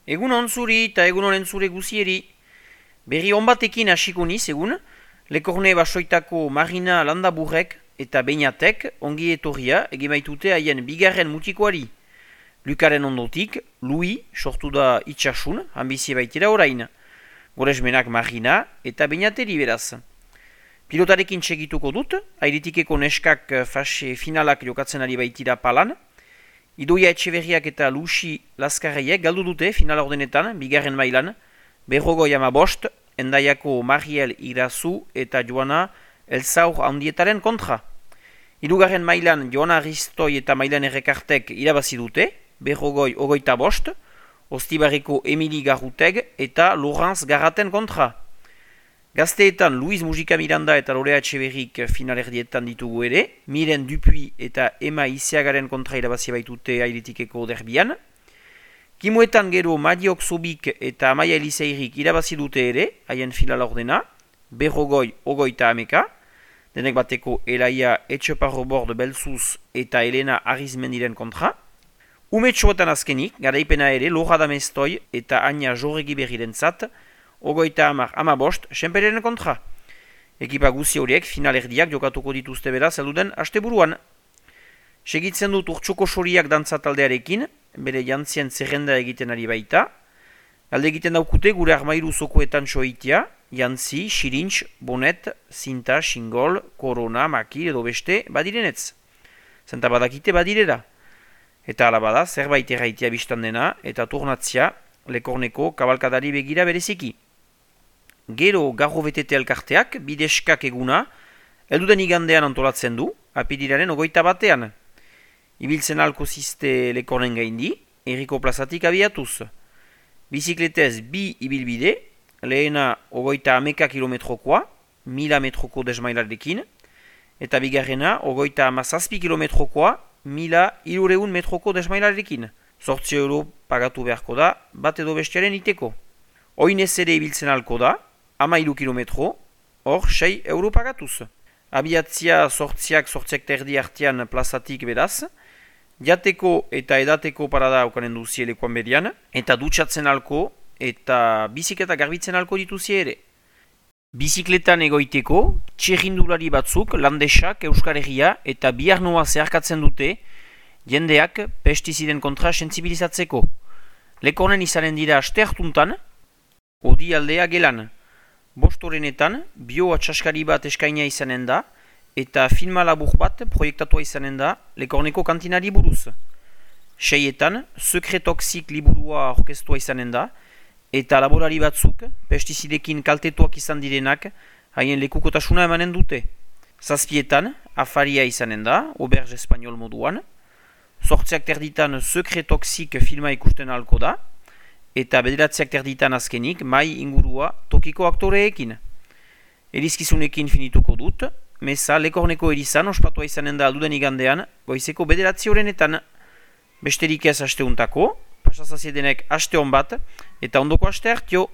Egun on zuri eta egun honen zure guzieri. Berri on batekin hasiko niz egun, Lekorne basoitako Marina Landaburrek eta Beñatek ongi etorria egimaitute haien bigarren mutikoari. Lukaren ondotik, Louis sortu da itxasun, ambizie baitera orain. Goresmenak Marina eta Beñateri beraz. Pilotarekin segituko dut, airitikeko neskak fase finalak jokatzen ari baitira palan. Idoia Etxeberriak eta Luxi Laskarreiek galdu dute final ordenetan, bigarren mailan, Berrogoi amabost, Endaiako Mariel Irazu eta Joana Elzaur handietaren kontra. Hirugarren mailan Joana Ristoi eta Mailan Errekartek irabazi dute, Berrogoi ogoita bost, Ostibarreko Emili Garruteg eta Laurence Garraten kontra. Gazteetan Luis Mujika Miranda eta Lorea Etxeberrik finalerdietan ditugu ere, Miren Dupuy eta Emma Iziagaren kontra irabazi baitute airitikeko derbian. Kimuetan gero Madiok Zobik eta Amaia Eliseirik irabazi dute ere, haien final ordena, Berrogoi ogoita ameka, denek bateko Elaia Etxeparrobord Belzuz eta Elena Arizmendiren kontra. Umetxoetan azkenik, garaipena ere Lora Damestoi eta Aina Jorregi Berriren zat, ogoita amabost, Senpereren kontra. Ekipa guzi horiek finalerdiak jokatuko dituzte beraz elduden asteburuan. Segitzen dut Urtsoko Soriak dantza taldearekin, bere jantzien zerrenda egiten ari baita. Alde egiten daukute gure armairu zokoetan soitia, jantzi, xirintx, bonet, zinta, xingol, korona, maki edo beste badirenetz. Zenta badakite badirera. Eta alabada zerbait erraitea biztan dena eta turnatzia Lekorneko kabalkadari begira bereziki. Gero garro betete elkarteak bideskak eguna elduden igandean antolatzen du, apirilaren ogoita batean. Ibiltzen alko ziste Lekornen gaindi, herriko plazatik abiatuz. Bizikletez bi ibilbide, lehena ogoita ameka kilometrokoa, 1000 metroko desmailarekin, eta bigarrena ogoita amazazpi kilometrokoa, 1200 metroko desmailarekin. 8 euro pagatu beharko da, bat edo bestiaren iteko. Oinez ere ibiltzen alko da, 13 kilometro, hor 6 euro pagatuz. Abiatzia sortziak terdi artean plazatik beraz, jateko eta edateko parada aukanen duzie lekuan berian, eta dutxatzen alko eta bizikleta garbitzen alko dituzie ere. Bizikletan egoiteko, txerrindulari batzuk, landesak, Euskal Herria eta biharnoa zeharkatzen dute, jendeak pestiziden kontra sentsibilizatzeko. Lekornen izanen dira aste hartuntan, odi aldea gelan. Bostorenetan, bio-atxaskari bat eskaina izanen da, eta filma labur bat proiektatua izanen da Lekorneko kantinari buruz. 6etan, Sekretoxik liburua orkestua izanen da, eta laborari batzuk, pestizidekin kaltetuak izan direnak, haien lekukotasuna emanen dute. 7etan, afaria izanen da, Auberge Espanol moduan. 8 terditan Sekretoxik filma ikusten ahalko da, eta 9 terditan azkenik mai ingurua tokiko aktoreekin. Erizkizunekin finituko dut, meza Lekorneko erizan ospatua izanen da alduden igandean, goizeko 9 horrenetan. Besterik ez asteuntako, pasazaziedenek aste hon bat, eta ondoko aste hartio.